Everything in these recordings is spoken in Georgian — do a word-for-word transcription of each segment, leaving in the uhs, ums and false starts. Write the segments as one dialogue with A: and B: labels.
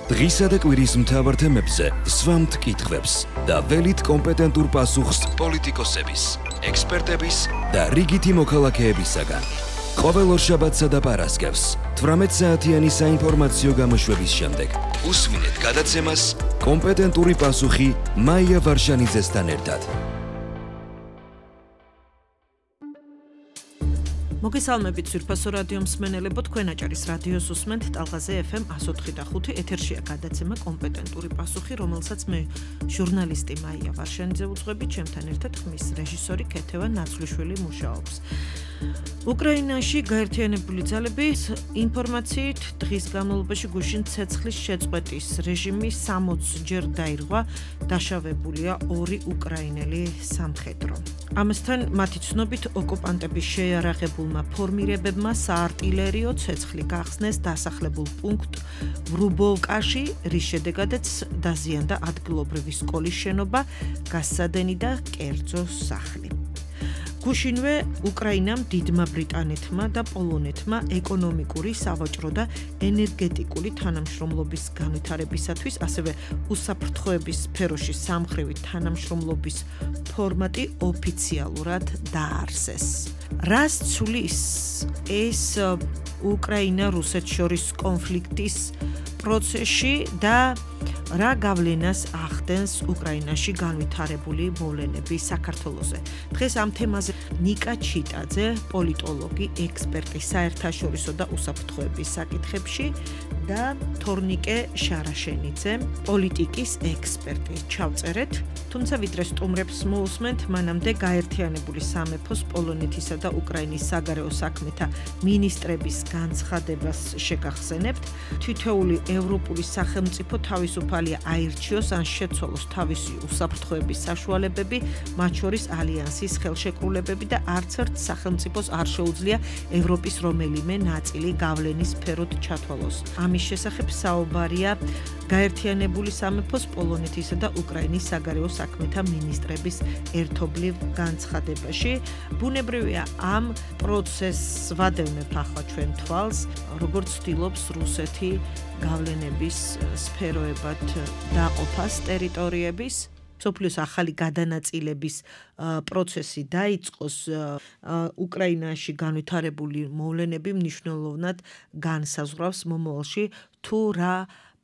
A: დღისა და კვირის მთავარ თემებზე სვამთ კითხვებს და ველით კომპეტენტურ პასუხს პოლიტიკოსების, ექსპერტების და რიგითი მოქალაქეებისაგან. ყოველ ორშაბათსა და პარასკევს თვრამეტ საათიანი საინფორმაციო გამოშვების შემდეგ უსმინეთ გადაცემას კომპეტენტური პასუხი მაია ვარშანიძესთან ერთად.
B: მოგესალმებით ძვირფასო რადიო მსმენელებო, თქვენ აჭარის რადიოს უსმენთ ტალღაზე ეფ ემ one oh three point five ეთერშია გადაცემა კომპეტენტური პასუხი, რომელსაც მე ჟურნალისტი მაია ვარშანიძე უძღვები, ჩემთან ერთად ხმის რეჟისორი ქეთევან ნაცვლიშვილი მუშაობს. უკრაინაში გაერთიანებული ძალები ინფორმაციით დღის განმავლობაში გუშინ ცეცხლის შეწყვეტის რეჟიმი სამოცი ჯერ დაირღვა, დაშავებულია ორი უკრაინელი სამხედრო. ამასთან მათი ცნობით ოკუპანტების შეიარაღებულმა ფორმირებებმა საარტილერიო ცეცხლი გახსნეს დასახლებულ პუნქტ ვრუბოვკაში, რის შედეგადაც დაზიანდა ადგილობრივი სკოლის შენობა, გასცადენი და კერძო სახლი. გუშინვე უკრაინამ დიდმა ბრიტანეთმა და პოლონეთმა ეკონომიკური, სავაჭრო და ენერგეტიკული თანამშრომლობის განვითარებისათვის, ასევე უსაფრთხოების სფეროში სამხრივი თანამშრომლობის ფორმატი ოფიციალურად დაარსეს. რას ცulis ეს უკრაინა-რუსეთს შორის კონფლიქტის პროცესში და რა გავლენას ახდენს უკრაინაში განვითარებული მოვლენები საქართველოზე. დღეს ამ თემაზე ნიკა ჩიტაძე, პოლიტოლოგი, ექსპერტი საერთაშორისო და უსაფრთხოების საკითხებში და თორნიკე შარაშენიძე, პოლიტიკის ექსპერტი. ჩავწერეთ, თუმცა ვიდრე სტუმრებს მოусმენთ, მანამდე გაერთიანებული სამეფოს პოლონეთისა და უკრაინის საგარეო საქმეთა მინისტრების განცხადებას შეგახსენებთ. თითოეული ევროპული სახელმწიფო თავისუფალია აირჩიოს ან შეცვალოს თავისი უსაფრთხოების საშუალებები, მათ შორის ალიანსის ხელშეკრულებები და არც ერთ სახელმწიფოს არ შეუძლია ევროპის რომელიმე ნაწილი გავლენის სფეროთ ჩათვალოს. ამის შესახებ საუბარია გაერთიანებული სამეფოს პოლონეთისა და უკრაინის საგარეო საქმეთა მინისტრების ერთობლივ განცხადებაში. ბუნებრივია ამ პროცესს ვადევნებ ახლა ჩვენ თვალს, როგორც ცდილობს რუსეთი გავლენების სფეროებად დაყოფას ტერიტორიების. სოფლის ახალი გადანაწილების პროცესი დაიწყოს, უკრაინაში განვითარებული მოვლენები მნიშვნელოვნად განსაზღვრავს მომავალში თუ რა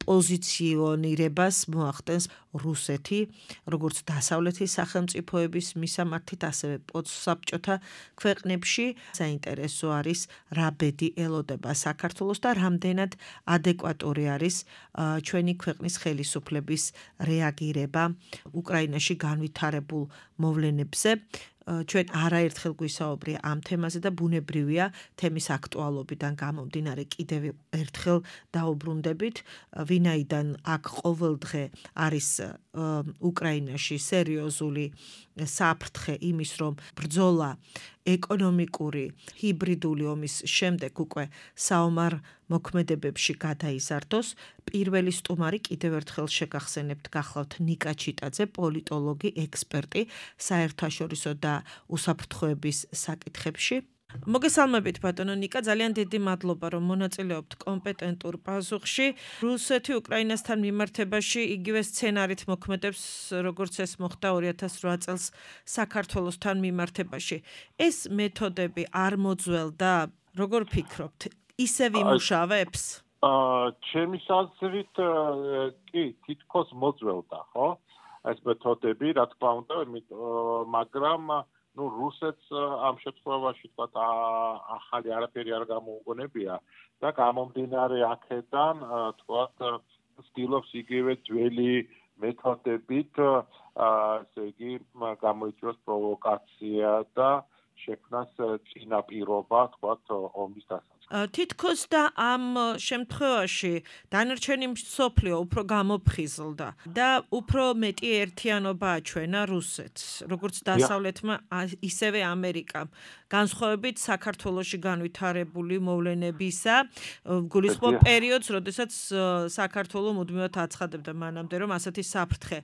B: პოზიციონირებას მოახდენს რუსეთი, როგორც დასავლეთის სახელმწიფოების მისამართით, ასევე პოსტსაბჭოთა ქვეყნებში. საინტერესო არის რა ბედი ელოდება საქართველოს და რამდენად ადეკვატური არის ჩვენი ქვეყნის ხელისუფლების რეაგირება უკრაინაში განვითარებულ მოვლენებზე. ჩვენ არაერთხელ გვისაუბრია ამ თემაზე და ბუნებრივია თემის აქტუალობიდან გამომდინარე კიდევ ერთხელ დაუბრუნდებით, ვინაიდან აქ ყოველდღე არის უკრაინაში სერიოზული საფრთხე იმის, რომ ბრძოლა ეკონომიკური ჰიბრიდული ომის შემდეგ უკვე საომარ მოქმედებებში გადაიზარდოს. პირველი სტუმარი კიდევ ერთხელ შეგახსენებთ, გახლავთ ნიკა ჩიტაძე, პოლიტოლოგი, ექსპერტი საერთაშორისო და უსაფრთხოების საკითხებში. მოგესალმებით ბატონო ნიკა, ძალიან დიდი მადლობა რომ მონაწილეობთ კომპეტენტურ პასუხში. რუსეთი უკრაინასთან მიმართებაში იგივე სცენარით მოქმედებს, როგორც ეს მოხდა ორი ათას რვა წელს საქართველოსთან მიმართებაში. ეს მეთოდები არ მოძველდა, როგორ ფიქრობთ, ისევ იმუშავებს?
C: ჩემი აზრით კი, თითქოს მოძველდა, ხო? ეს მეთოდები, რა თქმა უნდა, მაგრამ ну რუსეთს ამ შემთხვევაში თქვათ ახალი არაფერი არ გამოუგონებია და გამომდინარე აქედან თქვათ ცდილობს იგივე ძველი მეთოდებით ესე იგი გამოიწვიოს პროვოკაცია და შექმნას წინაპირობა თქვათ ომის დასაწყისად.
B: თითქოს და ამ შემთხვევაში დანარჩენი მსოფლიო უფრო გამოფხიზლდა და უფრო მეტი ერთიანობა აჩვენა რუსეთს, როგორც დასავლეთმა, ისევე ამერიკამ. განსხვავებით საქართველოში განვითარებული მოვლენებისა, გულისხმობ პერიოდს, როდესაც საქართველო მუდმივად აცხადებდა მანამდე, რომ ასეთი საფრთხე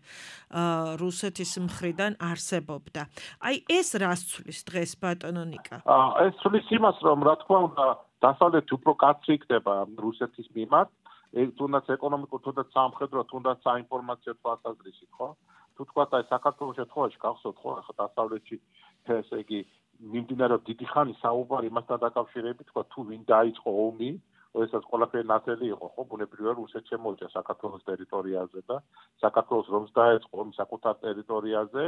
B: რუსეთის მხრიდან არსებობდა. აი ეს რას ცulis დღეს ბატონო ნიკა?
C: ეს ცulis იმას, რომ რა თქმა უნდა დასავლეთი უფრო კაცრი იქნება რუსეთის მიმართ თუნდაც ეკონომიკურ, თუნდაც სამხედრო, თუნდაც საინფორმაციო თვალსაზრისით, ხო? თუ თქვა აი საქართველოს შემთხვევაში გახსოვთ, ხო, ახლა დასავლეთში ესე იგი მიმდინარეობს დიდი ხანი საუბარი იმასთან დაკავშირებით, თქვა თუ ვინ დაიწყო ომი, როდესაც ყველაფერი ნათელი იყო, ხო, ბუნებრივია რუსეთს შემოიჭრა საქართველოს ტერიტორიაზე და საქართველოს რომს დაეწყო ომი საკუთარ ტერიტორიაზე,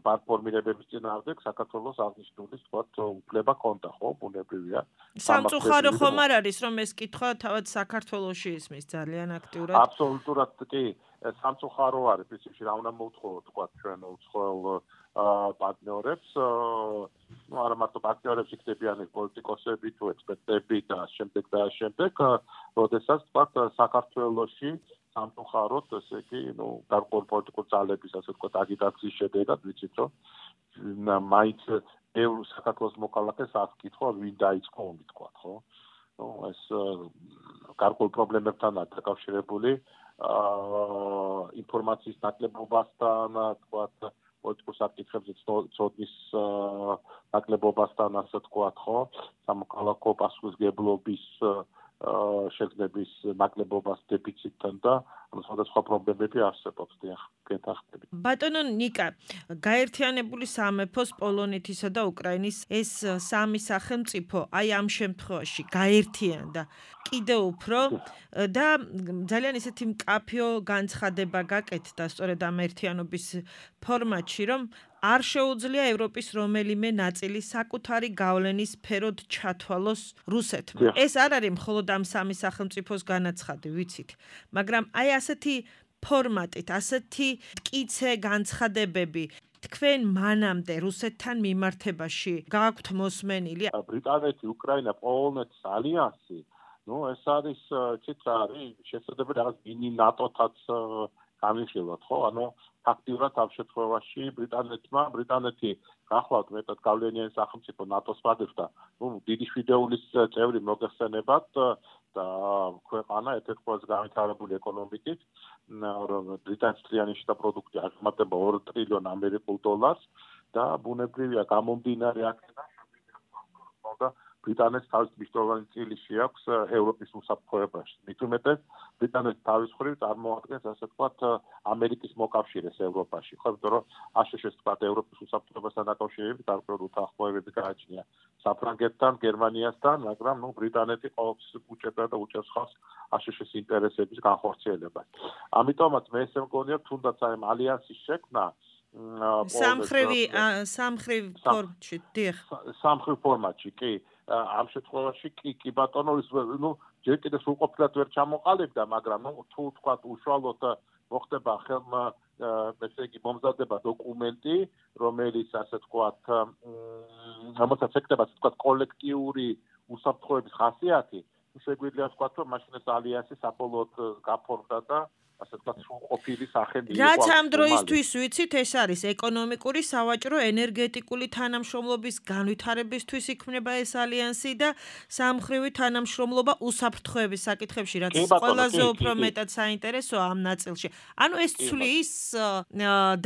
C: ბანკფორმირებების წინააღმდეგ საქართველოს აღნიშნული თქვა უფლება ჰქონდა, ხო, ბუნებრივია.
B: სამწუხარო ხომ არ არის, რომ ეს კითხვა თავად საქართველოში ისმის ძალიან აქტიურად?
C: აბსოლუტურად კი, სამწუხარო არის, პრინციპში რა უნდა მოვთხოვოთ, თქვა ჩვენ უცხოელ პარტნიორებს, ну არა მარტო პარტნიორებს იქნებიან პოლიტიკოსები თუ ექსპერტები და შემდეგ და შემდეგ, როდესაც თქვა საქართველოში სამწუხაროდ ესე იგი, ну გარკვეული პოლიტიკური ძალების ასე თქვა აგიტაციის შედეგად ვიცით რომ მაინც ბევრ საქართველოს მოქალაქეს აქვს კითხვა ვინ დაიწყო ომი თქვა, ხო? ну ეს გარკვეულ პრობლემებთანაა დაკავშირებული ინფორმაციის ნაკლებობასთან, თქვა პოლიტიკურ საკითხებზე ცოდნის ნაკლებობასთან, ასე თქვათ, ხო? სამოქალაქო პასუხისმგებლობის შეგნების ნაკლებობას დეფიციტთან და სხვადასხვა პრობლემები არსებობს, დიახ, გეთახმებით.
B: ბატონო ნიკა, გაერთიანებული სამეფოს პოლონეთისა და უკრაინის ეს სამი სახელმწიფო აი ამ შემთხვევაში გაერთიანდა კიდევ უფრო და ძალიან ისეთი მკაფიო განცხადება გაკეთდა სწორედ ამ ერთიანობის ფორმატში, რომ არ შეუძლია ევროპის რომელიმე ნაწილი საკუთარი გავლენის სფეროდ ჩათვალოს რუსეთმა. ეს არ არის მხოლოდ ამ სამი სახელმწიფოს განაცხადი, ვიცით, მაგრამ აი ასეთი ფორმატით, ასეთი მტკიცე განცხადებები თქვენ მანამდე რუსეთთან მიმართებაში გააქვთ მოსმენილი?
C: ბრიტანეთი, უკრაინა, პოლონეთის ალიანსი, ну ეს არის ცით არის შესაძლებელი რაღაც მინი ნატოთაც გამიხილოთ, ხო? ანუ ფაქტიურად ამ შემთხვევაში ბრიტანეთმა, ბრიტანეთი გახლავთ მეტად გავლენიანი სახელმწიფო ნატოს ვადებდა, ну დიდი შვიდეულის წევრი მოგეხსენებათ და ქვეყანა ერთ-ერთი ყველაზე განვითარებული ეკონომიკით, რომ ბრიტანეთის თლიანი შიდა პროდუქტი აღემატება ორ ტრილიონ ამერიკულ დოლარს და ბუნებრივია გამომდინარე აქედან და ბრიტანეთს თავის მნიშვნელოვანი წილი შეაქვს ევროპის უსაფრთხოებაში. მით უმეტეს ბრიტანეთი თავის მხრივ წარმოადგენს ასე ვთქვათ ამერიკის მოკავშირეს ევროპაში. ხო, იმიტომ რომ აშშ-ს ვთქვათ ევროპის უსაფრთხოებასთან დაკავშირებით გარკვეული უთანხმოებები გააჩნია საფრანგეთთან, გერმანიასთან, მაგრამ ნუ ბრიტანეთი ყოველთვის უჭერდა და უჭერს ხალხს აშშ-ის ინტერესების განხორციელებას. ამიტომაც მე ესე მგონია, თუნდაც აი ალიანსის შექმნა
B: სამხრივი სამხრივ ფორმატში, დიახ.
C: სამხრივ ფორმატში, კი. ამ შემთხვევაში კი კი ბატონო ნუ ჯერ კიდევ სრულყოფილად ვერ ჩამოყალიბდა, მაგრამ ნუ თუ თქვათ უშუალოდ მოხდება ხელმა ესე იგი მომზადება დოკუმენტი, რომელიც ასე თქვათ რომელსაც ეკდება ასე თქვათ კოლექტიური უსაფრთხოების ხასიათი, შეგვიძლია ვთქვათ რომ მაშინ ეს ალიანსი საბოლოოდ გაფორმდა და ასე ვთქვათ სრულყოფილი სახელი იყო.
B: რაც ამ დროისთვის ვიცით, ეს არის ეკონომიკური, სავაჭრო, ენერგეტიკული თანამშრომლობის განვითარებისთვის იქმნება ეს ალიანსი და სამხრივი თანამშრომლობა უსაფრთხოების საკითხებში, რაც ყველაზე უფრო მეტად საინტერესოა ამ ნაწილში. ანუ ეს ცვლის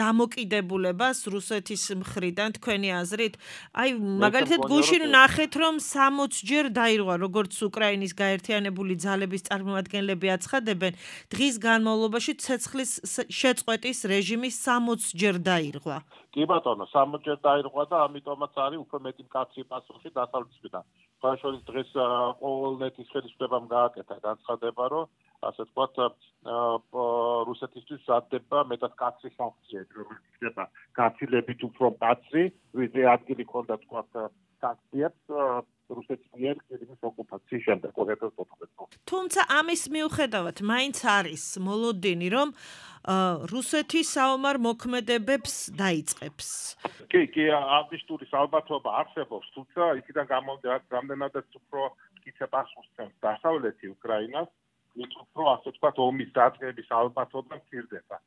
B: დამოკიდებულებას რუსეთის მხრიდან თქვენი აზრით? აი, მაგალითად გუშინ ნახეთ, რომ სამოცჯერ დაირღვა, როგორც უკრაინის გაერთიანებული ძალების წარმომადგენლები აცხადებენ, დღის განმავლობაში ცეცხლის შეწყვეტის რეჟიმი სამოცჯერ დაირღვა.
C: კი ბატონო, სამოცჯერ დაირღვა და ამიტომაც არის უფრო მეტი მკაცრი პასუხი დასავლეთისგან. ხაშორის დღეს პოლონეთის ხელისუფლებამ გააკეთა განცხადება, რომ ასე ვთქვათ, რუსეთისთვის მზადდება მეტად მკაცრი სანქციები, რომელიც ხდება გაცილებით უფრო მკაცრი, ვიდრე ადგილი ქონდა ვთქვათ სანქციებს რუსეთის მიერ კრიმის ოკუპაციის შემდეგ ორი ათას ოთხმოცი წელს.
B: თუმცა ამის მიუხედავად, მაინც არის მოლოდინი, რომ რუსეთი საომარ მოქმედებებს დაიწყებს.
C: კი, კი, აღნიშნული ალბათობა არსებობს, თუმცა იქიდან გამომდინარე, რამდენადაც უფრო მტკიცე პასუხს ცემს დასავლეთი უკრაინას, მით უფრო ასე ვთქვათ ომის დაწყების ალბათობა მცირდება.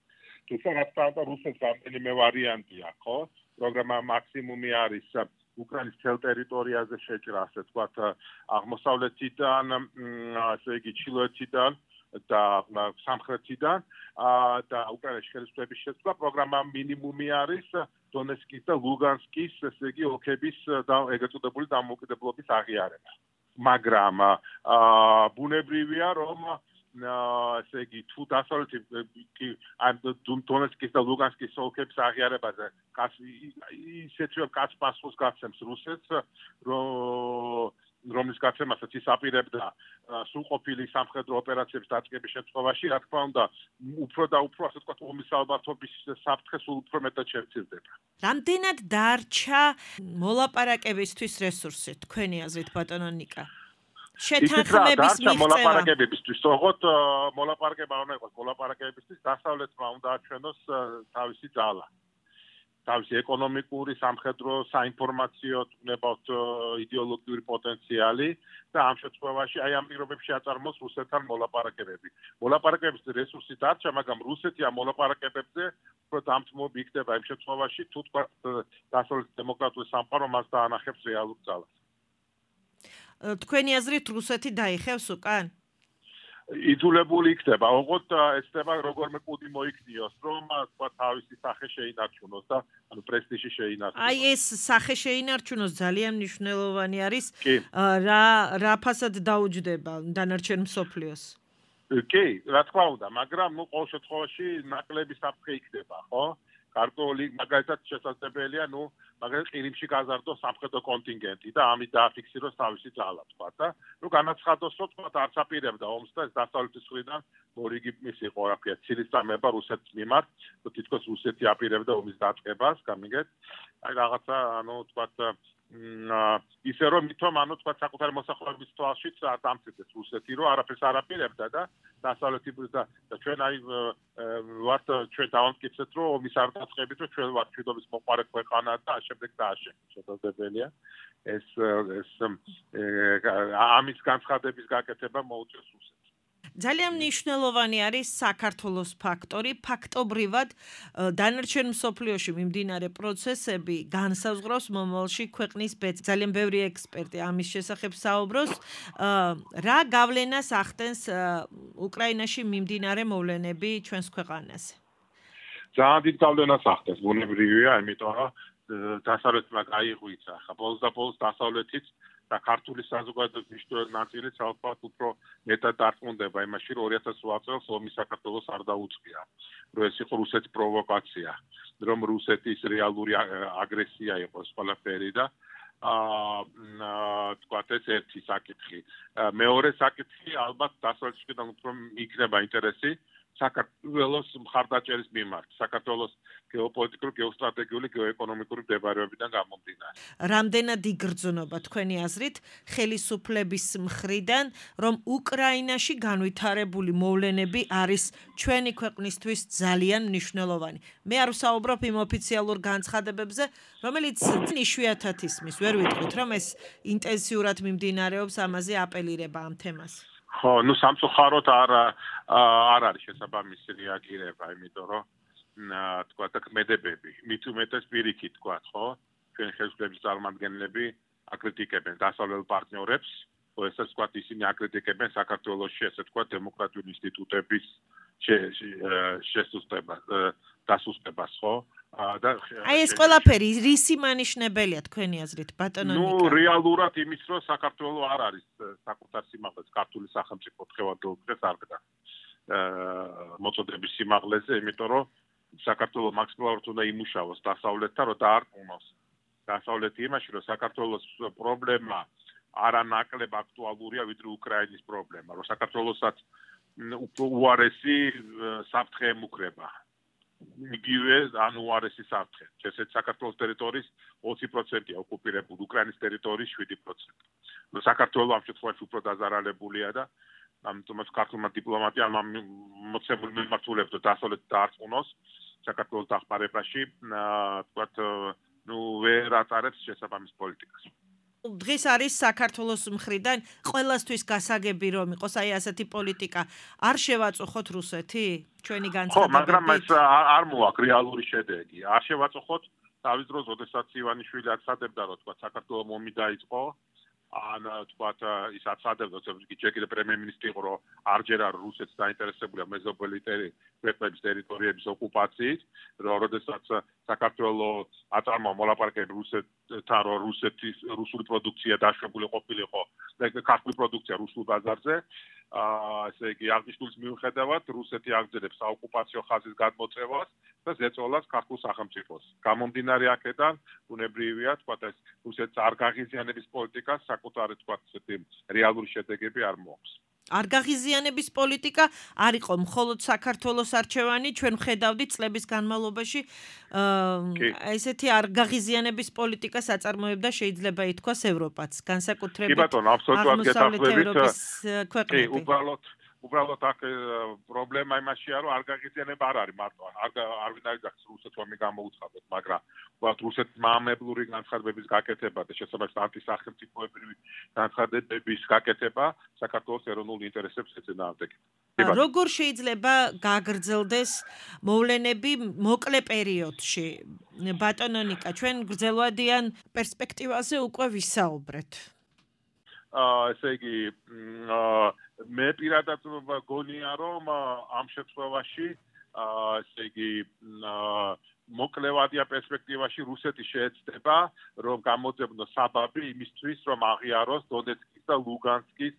C: თუმცა რა თქმა უნდა რუსეთს რამდენიმე ვარიანტი აქვს, ხო? პროგრამა მაქსიმუმი არის უკრაინის მთელ ტერიტორიაზე შეჭრა, ასე ვთქვათ, აღმოსავლეთიდან, ასე იგი ჩრდილოეთიდან და სამხრეთიდან და უკრაინის ხელისუფლების შეცვლა. პროგრამა მინიმუმი არის დონეცკის და ლუგანსკის, ესე იგი, ოლქების და ეგრეთ წოდებული დამოუკიდებლობის აღიარება. მაგრამ ბუნებრივია, რომ ესე იგი თუ დასავლეთი ან დონეცკის და ლუგანსკის ოლქების აღიარებაზე ისეთ კაც პასუხს გაცემს რუსეთს, რომლის გაცემასაც ის აპირებდა სრულყოფილი სამხედრო ოპერაციების დაწყების შემთხვევაში, რა თქმა უნდა, უფრო და უფრო ასე ვთქვათ, ომის ალბათობის საფრთხე სულ უფრო მეტად შემცირდება.
B: რამდენად დარჩა მოლაპარაკებისთვის რესურსი, თქვენი აზრით, ბატონო ნიკა? შეთანხმების მიღწევა
C: მოლაპარაკებებისთვის, თორღოთ მოლაპარაკება უნდა იყოს მოლაპარაკებებისთვის, დასავლეთმა უნდა აჩვენოს თავისი ძალა. თავისი ეკონომიკური, სამხედრო, საინფორმაციო, თუნებავთ იდეოლოგიური პოტენციალი და ამ შემთხვევაში აი ამ პირობებში აწარმოოს რუსეთთან მოლაპარაკებები. მოლაპარაკებების რესურსი დარჩა, მაგრამ რუსეთი ამ მოლაპარაკებებზე უფრო დამთმობი იქნება იმ შემთხვევაში, თუ თქვა დასავლეთის დემოკრატიული სამყარო მას დაანახებს რეალურ ძალას.
B: თქვენი აზრით რუსეთი დაიხევს უკან?
C: იძულებული იქნება, ოღონდ ეცდება როგორმე კუდი მოიქნიოს, რომ თქვა თავისი სახე შეინარჩუნოს და ანუ პრესტიჟი შეინარჩუნოს.
B: აი ეს სახე შეინარჩუნოს ძალიან მნიშვნელოვანი არის, რა რა ფასად დაუჯდება დანარჩენ მსოფლიოს.
C: კი, რა თქმა უნდა, მაგრამ ნუ ყოველ შემთხვევაში ნაკლები საფრთხე იქნება, ხო? ქართული მაგალითად შესაძლებელია, ნუ მაგალითად ყირიმში გაზარდოს სამხედრო კონტინგენტი და ამით დააფიქსიროს თავისი ძალა, თქვა და ნუ განაცხადოს, რომ თქვა არც აპირებდა ომს და ეს დასავლეთის მხრიდან მორიგი მისი იყო, რა ქვია, ცილისწამება რუსეთის მიმართ, თითქოს რუსეთი აპირებდა ომის დაწყებას, გამიგეთ? აი რაღაცა, ანუ თქვა ისე რომ მithom ანუ თქვა საკუთარი მოსახლეობის თვალშიც დამცირდეს რუსეთი, რომ არაფერს არ აპირებდა და დასავლეთი და ჩვენ აი ვართ ჩვენ დავამტკიცეთ, რომ ომის არ დაწყებით, რომ ჩვენ ვართ მშვიდობის მოყარე ქვეყანა და ამავდროულად დააშენოთ. შესაძლებელია ეს ეს ამის განცხადების გაკეთება მოუწევს რუსეთს.
B: ძალიან მნიშვნელოვანი არის საქართველოს ფაქტორი. ფაქტობრივად დანარჩენ მსოფლიოში მიმდინარე პროცესები განსაზღვრავს მომავალში ქვეყნის ბედს. ძალიან ბევრი ექსპერტი ამის შესახებ საუბრობს. რა გავლენას ახდენს უკრაინაში მიმდინარე მოვლენები ჩვენს ქვეყანაზე?
C: ძალიან დიდ გავლენას ახდენს, ბუნებრივია, იმიტომ რომ დასავლეთმა გაიღვიცა. ხა ბოლოს და ბოლოს დასავლეთიც და ქართული საზოგადოების მნიშვნელოვანი ნაწილიც ალბათ უფრო მეტად დარწმუნდება იმაში, რომ ორი ათას რვა წელს ომი საქართველოს არ დაუწყია, რომ ეს იყო რუსეთის პროვოკაცია, რომ რუსეთის რეალური აგრესია იყო ეს ყველაფერი და აა თქვა ეს ერთი საკითხი. მეორე საკითხი ალბათ დასავლეთიდან უფრო იქნება ინტერესი საქართველოს მხარდაჭერის მიმართ, საქართველოს გეოპოლიტიკური, გეოსტრატეგიული, გეოეკონომიკური მდებარეობიდან გამომდინარე.
B: რამდენად იგრძნობა თქვენი აზრით ხელისუფლების მხრიდან, რომ უკრაინაში განვითარებული მოვლენები არის ჩვენი ქვეყნისთვის ძალიან მნიშვნელოვანი. მე არ ვსაუბრობ იმ ოფიციალურ განცხადებებზე, რომელიც იშვიათად ისმის, ვერ ვიტყვით, რომ ეს ინტენსიურად მიმდინარეობს, ამაზე აპელირება ამ თემას.
C: ხო, ნუ სამწუხაროდ არ არ არის შესაბამისი რეაგირება, იმიტომ რომ თქვა და კმედებები, მით უმეტეს პირიქით თქვა, ხო? ჩვენი ხელისუფლების წარმომადგენლები აკრიტიკებენ დასავლელ პარტნიორებს, ხო, ესე თქვა ისინი აკრიტიკებენ საქართველოში, ესე თქვა დემოკრატიული ინსტიტუტების შესუსტებას, დასუსტებას, ხო? და
B: აი ეს ყველაფერი რისი მანიშნებელია თქვენი აზრით, ბატონო ნიკა?
C: ნუ რეალურად იმის, რომ საქართველო არ არის საკუთარ სიმაღლეზე, ქართული სახელმწიფო დღევანდელ დღეს არ გდა მოწოდების სიმაღლეზე, იმიტომ რომ საქართველო მაქსიმალურად უნდა იმუშავოს დასავლეთთან, რომ დაარწმუნოს დასავლეთი იმაში, რომ საქართველოს პრობლემა არანაკლებ აქტუალურია, ვიდრე უკრაინის პრობლემა, რომ საქართველოსაც უარესი საფრთხე ემუქრება. იგივე ანუ უარესი საფრთხე. ესეც საქართველოს ტერიტორიის ოცი პროცენტია ოკუპირებული, უკრაინის ტერიტორიის შვიდი პროცენტი. საქართველო ამ შემთხვევაში უფრო დაზარალებულია და ამიტომაც ქართულმა დიპლომატიამ მოცემული მიმართულებით დასავლეთ დაარწმუნოს საქართველოს დახმარებაში, თქვათ, ნუ ვერ ატარებს შესაბამის პოლიტიკას.
B: დღეს არის საქართველოს მხრიდან ყველასთვის გასაგები რომ იყოს აი ასეთი პოლიტიკა. არ შევაწუხოთ რუსეთი? ჩვენი განცხადებებით.
C: ხო, მაგრამ ეს არ მოაქვს რეალური შედეგი. არ შევაწუხოთ თავის დროს, როდესაც ივანიშვილი აცადებდა, რომ თქვა საქართველოს ომი დაიწყო, ან თქვა ის აცადებდა, რომ ჯერ პრემიერ-მინისტრი იყო, რომ არჯერ არ რუსეთს დაინტერესებულია მეზობელი ქვეყნების ტერიტორიების ოკუპაციით, რომ როდესაც საქართველოს აწარმოა მოლაპარაკებები თარო რუსეთის რუსული პროდუქცია დაშვებული ყოფილიყო და ქართული პროდუქცია რუსულ ბაზარზე. აა ესე იგი აღნიშნულის მიუხედავად რუსეთი აგრძელებს საოკუპაციო ხაზის გადმოწევას და ზეწოლას ქართულ სახელმწიფოს. გამომდინარე აქედან ბუნებრივია თქვა ეს რუსეთის არ გაღიზიანების პოლიტიკას საკუთარი თქვა ესეთი რეალური შედეგები არ მოაქვს.
B: არ გაღიზიანების პოლიტიკა არ იყო მხოლოდ საქართველოს არჩევანი, ჩვენ ვხედავდით წლების განმავლობაში აა ესეთი არ გაღიზიანების პოლიტიკას აწარმოებდა შეიძლება ითქვას ევროპაც, განსაკუთრებით აღმოსავლეთ ევროპის ქვეყნები.
C: კი, უბრალოდ უბრალოდ აქ პრობლემა იმაშია, რომ არ გაღიზიანება არ არის მარტო, არ არვინ არ გახსოვს რუსეთს ომი გამოუცხადოთ, მაგრამ ვთქვათ რუსეთის მაამებლური განცხადებების გაკეთება და შესაბამისად ანტისახელმწიფოებრივი განცხადებების გაკეთება საქართველოს ეროვნულ ინტერესებს ეწინააღმდეგება.
B: როგორ შეიძლება გაგრძელდეს მოვლენები მოკლე პერიოდში? ბატონო ნიკა, ჩვენ გრძელვადიან პერსპექტივაზე უკვე ვისაუბრეთ.
C: აა ესე იგი მე პირადად გონია რომ ამ შემთხვევაში აა ესე იგი მოკლევადია პერსპექტივაში რუსეთი შეეცდება რომ გამოძებნოს საბაბი იმისთვის რომ აღიაროს დონეცკის და ლუგანსკის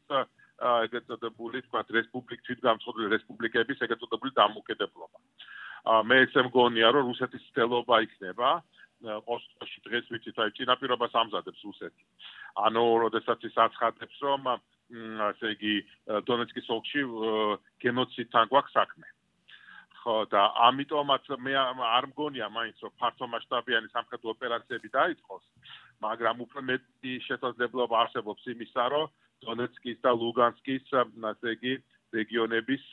C: ეგეთ წოდებული თქვა რესპუბლიკ თვითგამოცხადებული რესპუბლიკების ეგეთ წოდებული დამოუკიდებლობა. მე ესე მგონია რომ რუსეთის ცდელობა იქნება ოსტოში დღეს ვიცით აი წინაპირობას ამზადებს რუსეთი. ანუ როდესაც ის აცხადებს რომ ასე იგი დონეცკის ოლქში გენოციდთან გვაქვს საქმე. ხო და ამიტომაც მე არ მგონია მაინც რომ ფართო მასშტაბიანი სამხედრო ოპერაციები დაიწყოს, მაგრამ უფრო მეტი შესაძლებლობა არსებობს იმისა, რომ დონეცკის და ლუგანსკის ასე იგი რეგიონების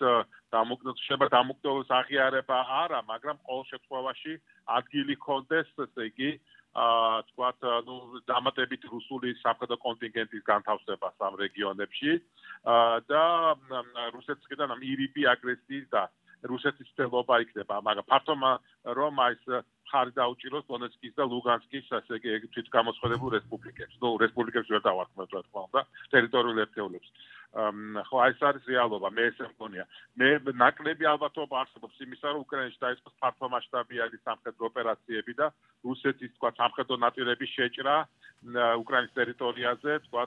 C: დამოუკიდებლობა დამოუკიდებლობის აღიარება არა, მაგრამ ყოველ შემთხვევაში ადგილი ქონდეს, ესე იგი აა თქვათ, ნუ დამატებით რუსული სამხედრო კონტინგენტის განთავსებას ამ რეგიონებში და რუსეთისგან ამ ირიბი აგრესიის და რუსეთის ცდელობა იქნება, მაგრამ ფართო რომ ეს ხარი დაუჭიროს დონეცკის და ლუგანსკის ასე იგი თვითგამოცხადებულ რესპუბლიკებს. ნუ რესპუბლიკებს ვერ დავარქმევთ რა თქმა უნდა, ტერიტორიულ ერთეულებს. ხო აი ეს არის რეალობა, მე ესე მგონია. მე ნაკლები ალბათობა არსებობს იმისა, რომ უკრაინაში დაიწყოს ფართო მასშტაბიანი სამხედრო ოპერაციები და რუსეთის თქვა სამხედრო ნაწილების შეჭრა უკრაინის ტერიტორიაზე, თქვა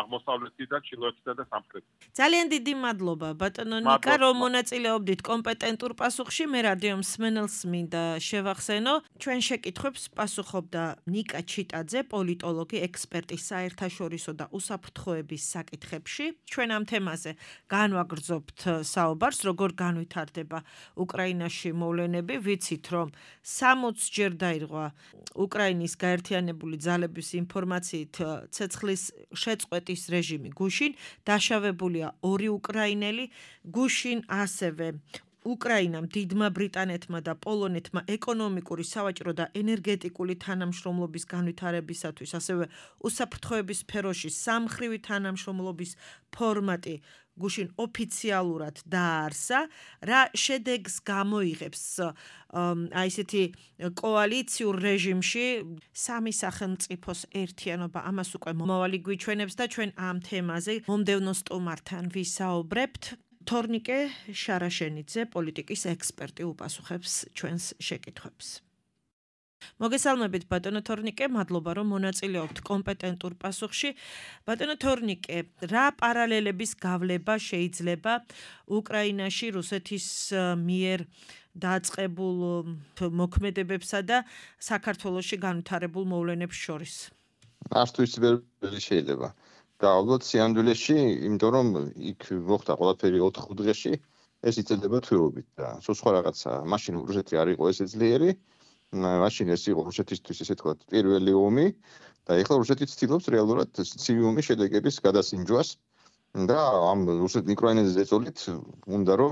C: აღმოსავლეთიდან, ჩრდილოეთიდან და სამხრეთიდან.
B: ძალიან დიდი მადლობა ბატონო ნიკა, რომ მონაწილეობდით კომპეტენტურ პასუხში. მე რადიო მსმენელს მინდა შევახსენო, ჩვენ შეკითხვებს პასუხობდა ნიკა ჩიტაძე, პოლიტოლოგი, ექსპერტი საერთაშორისო და უსაფრთხოების საკითხებში. ჩვენ ამ თემაზე განვაგრძობთ საუბარს, როგორ განვითარდება უკრაინაში მოვლენები. ვიცით, რომ სამოცჯერ დაირღვა უკრაინის გაერთიანებული ძალების ინფორმაციით ცეცხლის შეწყვეტის რეჟიმი გუშინ, დაშავებულია ორი უკრაინელი, გუშინ ასევე უკრაინამ, დიდმა ბრიტანეთმა და პოლონეთმა ეკონომიკური, სავაჭრო და ენერგეტიკული თანამშრომლობის განვითარებისათვის, ასევე უსაფრთხოების სფეროში სამმხრივი თანამშრომლობის ფორმატი გუშინ ოფიციალურად დაარსა. რა შედეგს გამოიღებს აი ესეთი კოალიციურ რეჟიმში სამი სახელმწიფოს ერთიანობა, ამას უკვე მომავალი გვიჩვენებს და ჩვენ ამ თემაზე მომდევნო სტუმართან ვისაუბრებთ. თორნიკე შარაშენიძე, პოლიტიკის ექსპერტი, უპასუხებს ჩვენს შეკითხვებს. მოგესალმებით ბატონო თორნიკე, მადლობა რომ მონაწილეობთ კომპეტენტურ პასუხში. ბატონო თორნიკე, რა პარალელების გავლება შეიძლება უკრაინაში რუსეთის მიერ დაწყებულ მოქმედებებსა და საქართველოში განვითარებულ მოვლენებს შორის?
D: არც ვერ შეიძლება. და ალბათ სიამდვილეში, იმიტომ რომ იქ მოხდა ყველაფერი ოთხ დღეში, ეს იწედება თვეობით და სულ სხვა რაღაცა. მაშინ რუსეთი არ იყო ესე ძლიერი, მაშინ ეს იყო რუსეთისთვის ესე თქვა პირველი ომი და ეხლა რუსეთი ცდილობს რეალურად ცივი ომის შედეგების გადასინჯვას და ამ რუსეთ უკრაინაზე ზეწოლით უნდა რომ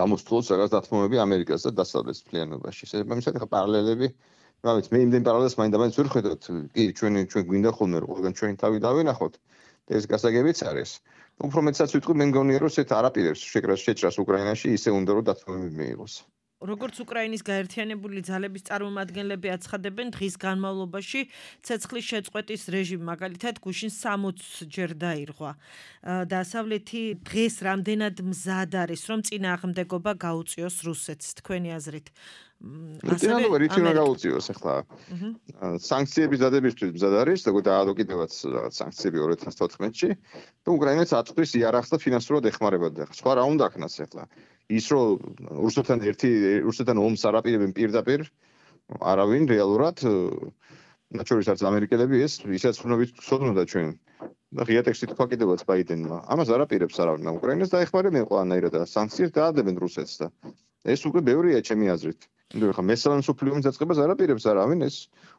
D: გამოსწოროს რაღაც დათმობები ამერიკას და დასავლეთ მთლიანობაში. შესაბამისად ახლა პარალელები მაგრამ მე იმდენ პარალელს მაინდა-მაინც ვერ ხედავთ. კი, ჩვენ ჩვენ გვინდა ხოლმე რომ ყველგან ჩვენი თავი დავინახოთ. ეს გასაგებიც არის. უფრო მეტსაც ვიტყვი, მე მგონია რომ ესეთ არაპირებს შეკრას შეჭრას უკრაინაში ისე უნდა რომ დათმობები მიიღოს.
B: როგორც უკრაინის გაერთიანებული ძალების წარმომადგენლები აცხადებენ, დღის განმავლობაში ცეცხლის შეწყვეტის რეჟიმი მაგალითად გუშინ სამოცჯერ დაირღვა. დასავლეთი დღეს რამდენად მზად არის, რომ წინააღმდეგობა გაუწიოს რუსეთს, თქვენი აზრით?
D: წინააღმდეგობა რითი უნდა გაუწიოს ახლა? სანქციების დადებისთვის მზად არის, როგორც დაადოკიდევაც რაღაც სანქციები ორ ათას თოთხმეტში, და უკრაინას აწვდის იარაღს და ფინანსურად ეხმარებათ. სხვა რა უნდა ქნას ახლა? ის რომ რუსეთთან ერთი რუსეთთან ომს არაპირებენ პირდაპირ, არავინ რეალურად, მათ შორის არც ამერიკელები ეს ისაც ხნობით ცოდნოდა ჩვენ. და ღია ტექსტი თქვა კიდევაც ბაიდენმა. ამას არაპირებს არავინ. უკრაინას დაეხმარებენ ყველანაირად და სანქციებს დაადებენ რუსეთს და ეს უკვე ბევრია ჩემი აზრით. იმიტომ ხა მესამე მსოფლიო ომის დაწყებას არაპირებს არავინ, ეს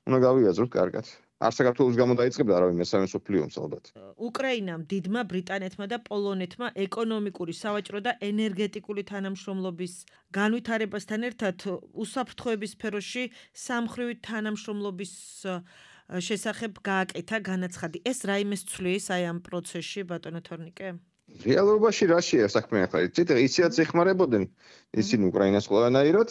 D: უნდა გავიაზროთ კარგად. არ საქართველოს გამო დაიწყებდა არავინ მესამე მსოფლიო ომს ალბათ.
B: უკრაინამ დიდმა ბრიტანეთმა და პოლონეთმა ეკონომიკური, სავაჭრო და ენერგეტიკული თანამშრომლობის განვითარებასთან ერთად უსაფრთხოების სფეროში სამხრივი თანამშრომლობის შესახებ გააკეთა განაცხადი. ეს რაიმეს ცვლის აი ამ პროცესში, ბატონო თორნიკე?
D: რეალობაში რაშია საქმე ახლა? ისიც ეხმარებოდნენ ისინი უკრაინას ყველანაირად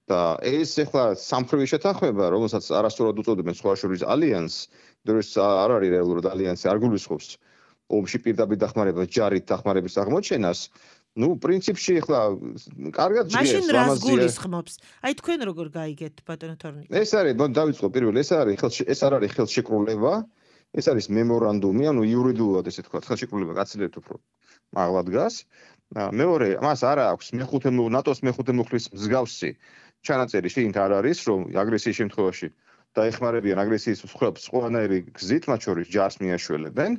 D: და ეს ახლა სამხრივი შეთანხმება, რომელსაც არასწორად უწოდებენ სხვა შორის ალიანსს, იმიტომ რომ არ არის რეალურად ალიანსი, არ გულისხმობს ომში პირდაპირ დახმარებას, ჯარით დახმარების აღმოჩენას. ნუ პრინციპში ახლა კარგად ჟღერს
B: მაშინ რას გულისხმობს? აი თქვენ როგორ გაიგეთ ბატონო თორნიკე?
D: ეს არის, დავიწყო პირველ, ეს არის ეს არ არის ხელშეკრულება, ეს არის მემორანდუმი, ანუ იურიდიულად ესე თქვა, ხელშეკრულება გაცილებით უფრო მაღლა დგას. მეორე, მას არ აქვს მეხუთე ნატოს მეხუთე მუხლის მსგავსი ჩანაწერი შიგნით არ არის, რომ აგრესიის შემთხვევაში დაეხმარებიან აგრესიის მსხვერპლს ყველანაირი გზით, მათ შორის ჯარს მიაშველებენ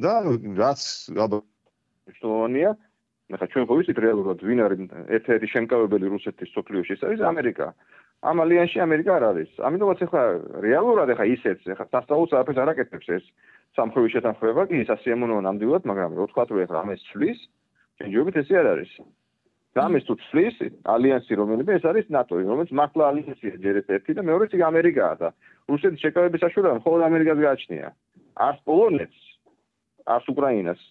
D: და რაც ალბათ მნიშვნელოვანია, ახლა ჩვენ ხო ვიცით რეალურად ვინ არის ერთ-ერთი შემკავებელი რუსეთის სოფლიოში, ეს არის ამერიკა. ამ ალიანსში ამერიკა არ არის. ამიტომაც ახლა რეალურად ახლა ისეც ახლა სასწაულს არაფერს არ აკეთებს ეს სამხრივი შეთანხმება, კი სასიამოვნოა ნამდვილად, მაგრამ რო თქვა რომ ახლა ამას ცვლის, ჯერჯერობით ესე არ არის. და ამას თუ ცვლის ალიანსი რომელიმე ეს არის ნატო, რომელიც მართლა ალიანსია ჯერ ერთი და მეორეც იგი ამერიკაა და რუსეთის შეკავების საშუალება მხოლოდ ამერიკას გააჩნია. არც პოლონეთს, არც უკრაინას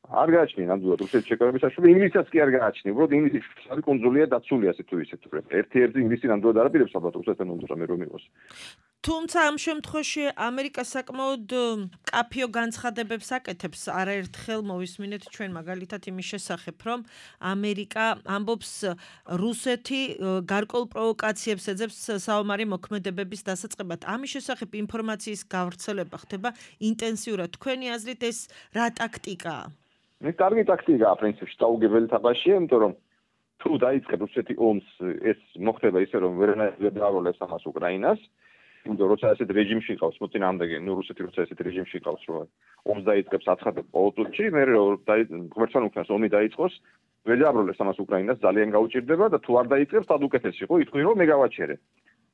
D: არ გააჩნია ნამდვილად რუსეთის შეკავების საშუალება, ინგლისსაც კი არ გააჩნია. უბრალოდ ინგლისი არის კონსულია დაცული ასე თუ ისე თუ ერთ-ერთი ინგლისი ნამდვილად არაპირებს ალბათ რუსეთთან უნდა მე რომ იყოს.
B: თუმცა ამ შემთხვევაში ამერიკა საკმაოდ კაფიო განცხადებებს აკეთებს. არაერთხელ მოვისმინეთ ჩვენ მაგალითად იმის შესახებ, რომ ამერიკა ამბობს რუსეთი გარკვეულ პროვოკაციებს ეძებს საომარი მოქმედებების დასაწყებად. ამის შესახებ ინფორმაციის გავრცელება ხდება ინტენსიურად. თქვენი აზრით ეს რა ტაქტიკაა?
D: ეს კარგი ტაქტიკაა პრინციპში, დაუგებელი თაბაშია, იმიტომ რომ თუ დაიწყებს რუსეთი ომს, ეს მოხდება ისე რომ ვერანაირად დააბრალებს ამას უკრაინას. იმიტომ როცა ასეთ რეჟიმში ყავს მოწინააღმდეგე, ნუ რუსეთი როცა ასეთ რეჟიმში ყავს, რომ ომს დაიწყებს აცხადებს პოლიტიკაში, მე რომ ღმერთთან უკრაინას ომი დაიწყოს, ვერ დააბრალებს ამას უკრაინას, ძალიან გაუჭირდება და თუ არ დაიწყებს, tad უკეთესი იყო, იტყვი რომ მე გავაჩერე.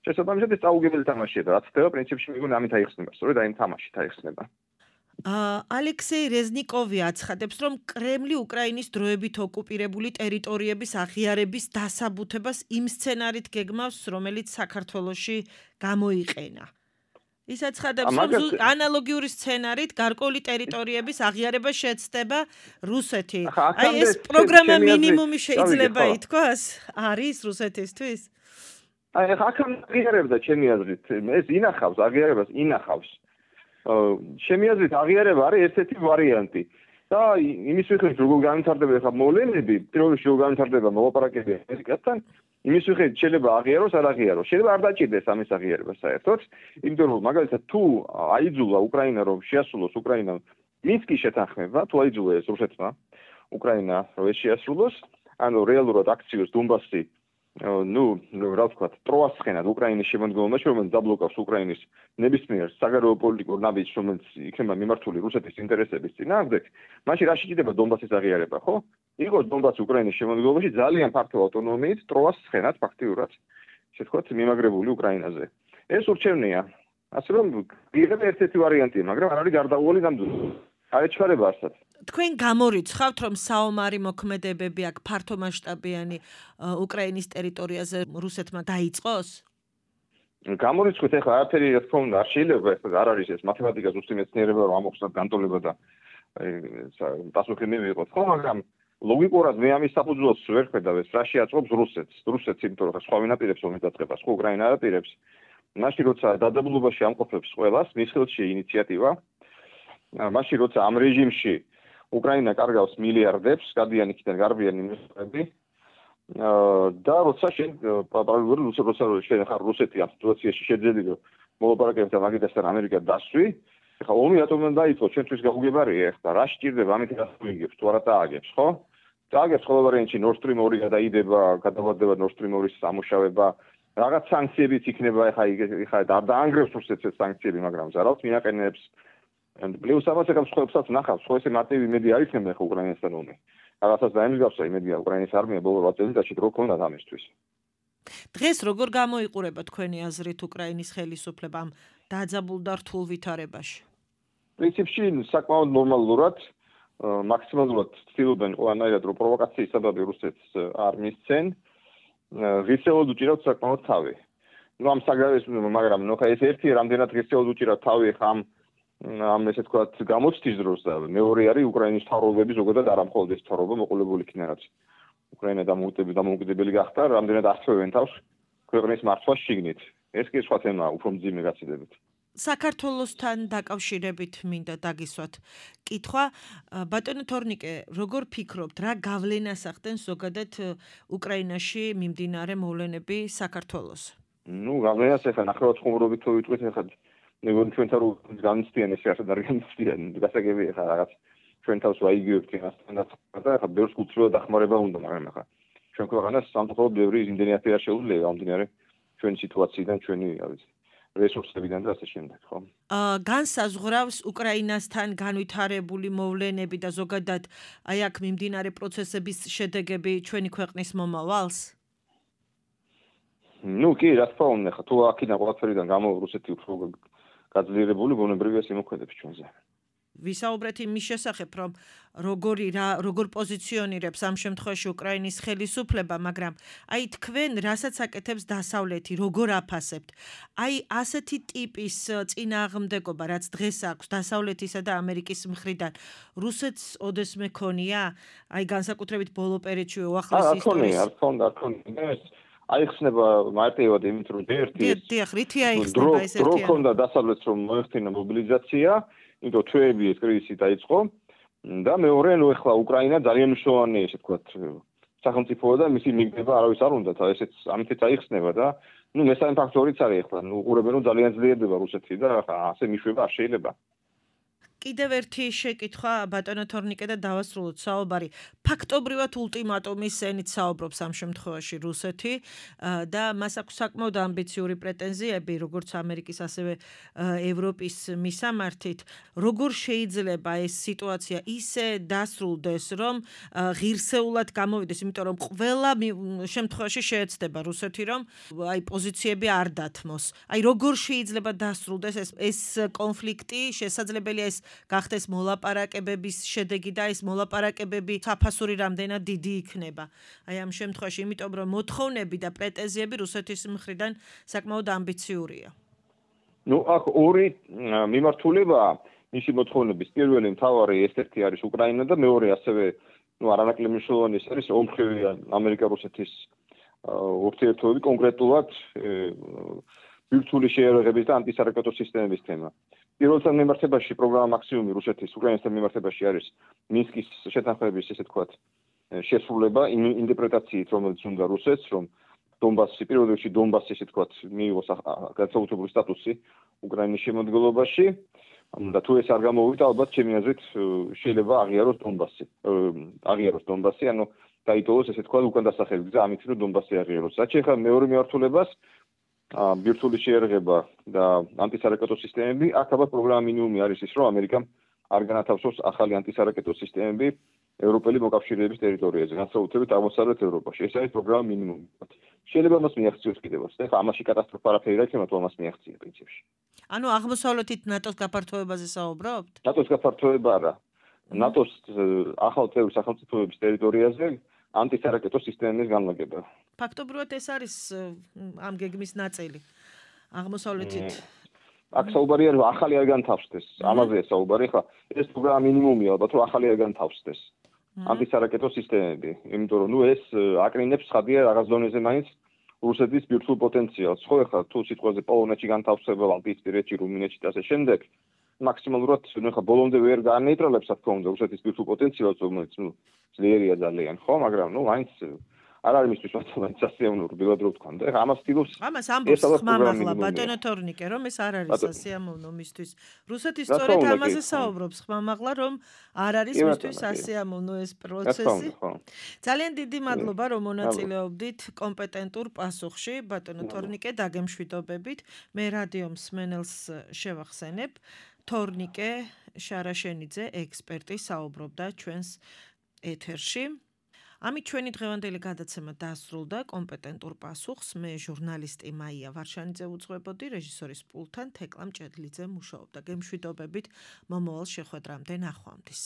D: შესაბამისად ეს დაუგებელი თამაშია და რაც ხდება პრინციპში მიგონი ამით აიხსნება, სწორედ აი ამ თამაშით აიხსნება.
B: ალექსეი რეზნიკოვი აცხადებს, რომ კრემლი უკრაინის დროებით ოკუპირებული ტერიტორიების აღიარების დასაბუთებას იმ სცენარით გეგმავს, რომელიც საქართველოში გამოიყენა. ის აცხადებს, რომ ანალოგიური სცენარით გარკვეული ტერიტორიების აღიარება შეცდება რუსეთი. აი ეს პროგრამა მინიმუმი შეიძლება ითქვას, არის რუსეთისთვის?
D: აი ახლა აღიარებდა ჩემი აზრით, ეს ინახავს, აღიარებას ინახავს. ჩემი აზრით აღიარება არის ერთ-ერთი ვარიანტი და იმის მიხედვით როგორ განვითარდება ახლა მოვლენები, პირველ რიგში როგორ განვითარდება მოლაპარაკებები ამერიკასთან, იმის მიხედვით შეიძლება აღიაროს, არ აღიაროს. შეიძლება არ დაჭირდეს ამის აღიარება საერთოდ, იმიტომ რომ მაგალითად თუ აიძულა უკრაინა რომ შეასრულოს უკრაინამ მინსკის შეთანხმება, თუ აიძულა ეს რუსეთმა უკრაინა რომ ეს შეასრულოს, ანუ რეალურად აქციოს დონბასი ნუ რა ვთქვათ, ტროას ცხენად უკრაინის შემოქმედებაში, რომელიც დაბლოკავს უკრაინის ნებისმიერ საგარეო პოლიტიკურ ნაბიჯს, რომელიც იქნება მიმართული რუსეთის ინტერესების წინააღმდეგ, მაშინ რა შეიძლება დონბასის აღიარება, ხო? იყოს დონბასი უკრაინის შემოქმედებაში ძალიან ფართო ავტონომიით ტროას ცხენად ფაქტიურად, ესე ვთქვათ, მიმაგრებული უკრაინაზე. ეს ურჩევნია. ასე რომ ღირება ერთ-ერთი ვარიანტია, მაგრამ არ არის გარდაუვალი ნამდვილად. არ ეჩქარება არსად.
B: თქვენ გამორიცხავთ, რომ საომარი მოქმედებები აქ ფართომასშტაბიანი უკრაინის ტერიტორიაზე რუსეთმა დაიწყოს?
D: გამორიცხავთ, ეხლა არაფერი რა თქმა უნდა არ შეიძლება, ეხლა არ არის ეს მათემატიკა ზუსტი მეცნიერება, რომ ამოხსნათ განტოლება და პასუხი მივიღოთ, ხო, მაგრამ ლოგიკურად მე ამის საფუძველს ვერ ხედავ, ეს რაში აწყობს რუსეთს. რუსეთს იმიტომ რომ სხვა ვინ აპირებს ომის დაწყებას, ხო უკრაინა აპირებს. მაშინ როცა დაძაბულობაში ამყოფებს ყველას, მის ხელში ინიციატივა. მაშინ როცა ამ რეჟიმში უკრაინა კარგავს მილიარდებს, გადიან იქიდან გარბიან ინვესტორები. და როცა შენ პარალელურად როცა შენ ხარ რუსეთი ამ სიტუაციაში შეძელი რომ მოლაპარაკებდა მაგიდასთან ამერიკა დასვი, ეხლა ომი რატომ უნდა დაიწყო, ჩვენთვის გაუგებარია ეხლა რა სჭირდება ამით გასწრიგებს თუ არა დააგებს, ხო? დააგებს ყოველ ვარიანტში Nord Stream ორი გადაიდება, გადავარდება Nord Stream ორის სამუშავება, რაღაც სანქციებიც იქნება, ეხლა ეხლა დაანგრევს რუსეთს ეს სანქციები, მაგრამ ზარალს მინაყენებს. პლუს ამას ეხლა სხვებსაც ნახავს, ხო ესე მარტივი იმედი არ იქნება ეხლა უკრაინასთან ომი. რაღაცას დაემსგავსა იმედია უკრაინის არმია ბოლო რვა წელიწადში რო ქონდა ამისთვის.
B: დღეს როგორ გამოიყურება თქვენი აზრით უკრაინის ხელისუფლებამ დაძაბულ და რთულ ვითარებაში?
D: პრინციპში საკმაოდ ნორმალურად, მაქსიმალურად ცდილობენ ყველანაირად რომ პროვოკაციის საბაბი რუსეთს არ მისცენ, ღირსეულად უჭირავთ საკმაოდ თავი. ნუ ამ საგრავის მაგრამ ნუ ხა ეს ერთი რამდენად ღირსეულად უჭირავთ თავი ხა ამ ამ ესე თქვათ გამოცდის დროს და მეორე არის უკრაინის თავრობები ზოგადად არ ამხოლოდ ეს თავრობა მოყოლებული იქნა რაც უკრაინა დამოუკიდებელი გახდა, რამდენად აღწევენ თავს ქვეყნის მართვას შიგნით. ეს კი სხვა თემაა, უფრო მძიმე გაცილებით.
B: საქართველოსთან დაკავშირებით მინდა დაგისვათ კითხვა. ბატონო თორნიკე, როგორ ფიქრობთ, რა გავლენას ახდენს ზოგადად უკრაინაში მიმდინარე მოვლენები საქართველოს?
D: ნუ გავლენას ეხლა ნახევარ ხუმრობით თუ ვიტყვით ეხლა ნეგონ ჩვენთან რო განცდიან ეს ასე და განცდიან გასაგებია ეხლა რაღაც ჩვენ თავს ვაიგივებთ იმასთან და ეხლა ბევრს კულტურა დახმარება უნდა, მაგრამ ეხლა ჩვენ ქვეყანას სამწუხაროდ ბევრი იმდენი ათი არ შეუძლია გამომდინარე ჩვენი სიტუაციიდან, ჩვენი არის რესურსებიდან და ასე შემდეგ, ხო?
B: აა განსაზღვრავს უკრაინასთან განვითარებული მოვლენები და ზოგადად აი აქ მიმდინარე პროცესების შედეგები ჩვენი ქვეყნის მომავალს?
D: ნუ კი, რა თქმა უნდა, ხა თუ აქედან ყველაფერიდან გამო რუსეთი უფრო გაძლიერებული ბუნებრივია სიმოქმედებს ჩვენზე.
B: ვისაუბრეთ იმის შესახებ, რომ როგორი რა როგორ პოზიციონირებს ამ შემთხვევაში უკრაინის ხელისუფლება, მაგრამ აი თქვენ რასაც აკეთებს დასავლეთი, როგორ აფასებთ? აი ასეთი ტიპის წინააღმდეგობა, რაც დღეს აქვს დასავლეთისა და ამერიკის მხრიდან, რუსეთს ოდეს მეკონია? აი განსაკუთრებით ბოლო პერიოდში უახლეს ისტორიის.
D: არ თქონდა, არ თქონდა. აიხსნება მარტივად იმით, რომ ერთი
B: ეს დიახ, რითი აიხსნება ეს ერთიანი?
D: დრო ქონდა დასავლეთს რომ მოეხდინა მობილიზაცია, იმიტომ ჩვეები ეს კრიზისი დაიწყო და მეორე ნუ ეხლა უკრაინა ძალიან მნიშვნელოვანი ესე ვთქვათ სახელმწიფოა და მისი მიგდება არავის არ უნდა და ესეც ამითაც აიხსნება და ნუ მესამე ფაქტორიც არის ეხლა ნუ უყურებენ რომ ძალიან ძლიერდება რუსეთი და ასე მიშვება არ შეიძლება.
B: კიდევ ერთი შეკითხვა ბატონო თორნიკე და დავასრულოთ საუბარი. ფაქტობრივად ულტიმატუმის ენით საუბრობს ამ შემთხვევაში რუსეთი და მას აქვს საკმაოდ ამბიციური პრეტენზიები, როგორც ამერიკის, ასევე ევროპის მისამართით. როგორ შეიძლება ეს სიტუაცია ისე დასრულდეს, რომ ღირსეულად გამოვიდეს, იმიტომ რომ ყველა შემთხვევაში შეეცდება რუსეთი, რომ აი პოზიციები არ დათმოს. აი როგორ შეიძლება დასრულდეს ეს ეს კონფლიქტი, შესაძლებელია ეს გახდეს მოლაპარაკებების შედეგი და ეს მოლაპარაკებები საფასური რამდენად დიდი იქნება. აი ამ შემთხვევაში, იმიტომ რომ მოთხოვნები და პრეტენზიები რუსეთის მხრიდან საკმაოდ ამბიციურია.
D: ნუ აქ ორი მიმართულებაა მისი მოთხოვნების. პირველი მთავარი ერთ-ერთი არის უკრაინა და მეორე ასევე ნუ არანაკლებ მნიშვნელოვანი არის ომხრივი ამერიკა-რუსეთის ურთიერთობები, კონკრეტულად ბირთვული შეერაღების და ანტისარაკეტო სისტემების თემა. პირველთან მიმართებაში პროგრამა მაქსიმუმი რუსეთის უკრაინასთან მიმართებაში არის მინსკის შეთანხმების ესე ვთქვათ შესრულება იმ ინტერპრეტაციით, რომელიც უნდა რუსეთს, რომ დონბასი პირველ რიგში დონბასი ესე ვთქვათ მიიღოს განსაკუთრებული სტატუსი უკრაინის შემადგენლობაში და თუ ეს არ გამოვიდა, ალბათ ჩემი აზრით შეიძლება აღიაროს დონბასი. აღიაროს დონბასი, ანუ დაიტოვოს ესე ვთქვათ უკან დასახელი გზა ამით, რომ დონბასი აღიაროს. რაც შეეხება მეორე მიმართულებას ბირთვული შეერაღება და ანტისარაკეტო სისტემები, აქ ალბათ პროგრამა მინიმუმი არის ის, რომ ამერიკამ არ განათავსოს ახალი ანტისარაკეტო სისტემები ევროპელი მოკავშირეების ტერიტორიაზე, განსაკუთრებით აღმოსავლეთ ევროპაში. ეს არის პროგრამა მინიმუმი. შეიძლება მას მიაღწიოს კიდევაც. ეხლა ამაში კატასტროფა არაფერი რა იქნება, თუ ამას მიაღწია პრინციპში.
B: ანუ აღმოსავლეთით ნატოს გაფართოებაზე საუბრობთ?
D: ნატოს გაფართოება არა. ნატოს ახალ წევრი სახელმწიფოების ტერიტორიაზე ანტისარაკეტო სისტემის განლაგება.
B: ფაქტობრივად ეს არის ამ გეგმის ნაწილი. აღმოსავლეთით
D: აქ საუბარია რომ ახალი არ განთავსდეს. ამაზეა საუბარი, ხა ეს პროგრამა მინიმუმია, ალბათ რომ ახალი არ განთავსდეს. ანტისარაკეტო სისტემები, იმიტომ რომ ნუ ეს აკრინებს ხადია რაღაც ზონეზე მაინც რუსეთის ბირთვულ პოტენციალს. ხო, ეხლა თუ სიტყვაზე პოლონეთში განთავსება, ბალტიისპირეთში, რუმინეთში და ასე შემდეგ, მაქსიმალურად ნუ ეხლა ბოლომდე ვერ განეიტრალებს, რა თქმა უნდა, რუსეთის ბირთვულ პოტენციალს, რომელიც ნუ ძლიერია ძალიან, ხო, მაგრამ ნუ მაინც არ არის მისთვის მართლაც სასიამოვნო რბილად რო ვთქვა და ეხლა ამას ვთილობს
B: ამას ამბობს ხმამაღლა ბატონო თორნიკე რომ ეს არ არის სასიამოვნო მისთვის რუსეთი სწორედ ამაზე საუბრობს ხმამაღლა რომ არ არის მისთვის სასიამოვნო ეს პროცესი ძალიან დიდი მადლობა რომ მონაწილეობდით კომპეტენტურ პასუხში ბატონო თორნიკე დაგემშვიდობებით მე რადიო მსმენელს შევახსენებ თორნიკე შარაშენიძე ექსპერტი საუბრობდა ჩვენს ეთერში ამით ჩვენი დღევანდელი გადაცემა დასრულდა კომპეტენტურ პასუხს მე ჟურნალისტი მაია ვარშანიძე უძღვებოდი რეჟისორის პულტთან თეკლა მჭედლიძე მუშაობდა გემშვიდობებით მომავალ შეხვედრამდე ნახვამდის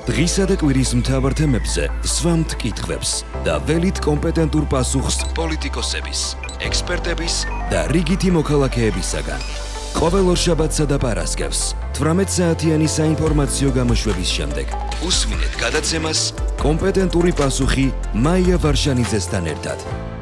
A: დღისა და კვირის მთავარ თემებზე სვამთ კითხვებს და ველით კომპეტენტურ პასუხს პოლიტიკოსების ექსპერტების და რიგითი მოქალაქეებისაგან ყოველ ორშაბათსა და პარასკევს თვრამეტ საათიანი საინფორმაციო გამოშვების შემდეგ უსმინეთ გადაცემას კომპეტენტური პასუხი მაია ვარშანიძესთან ერთად.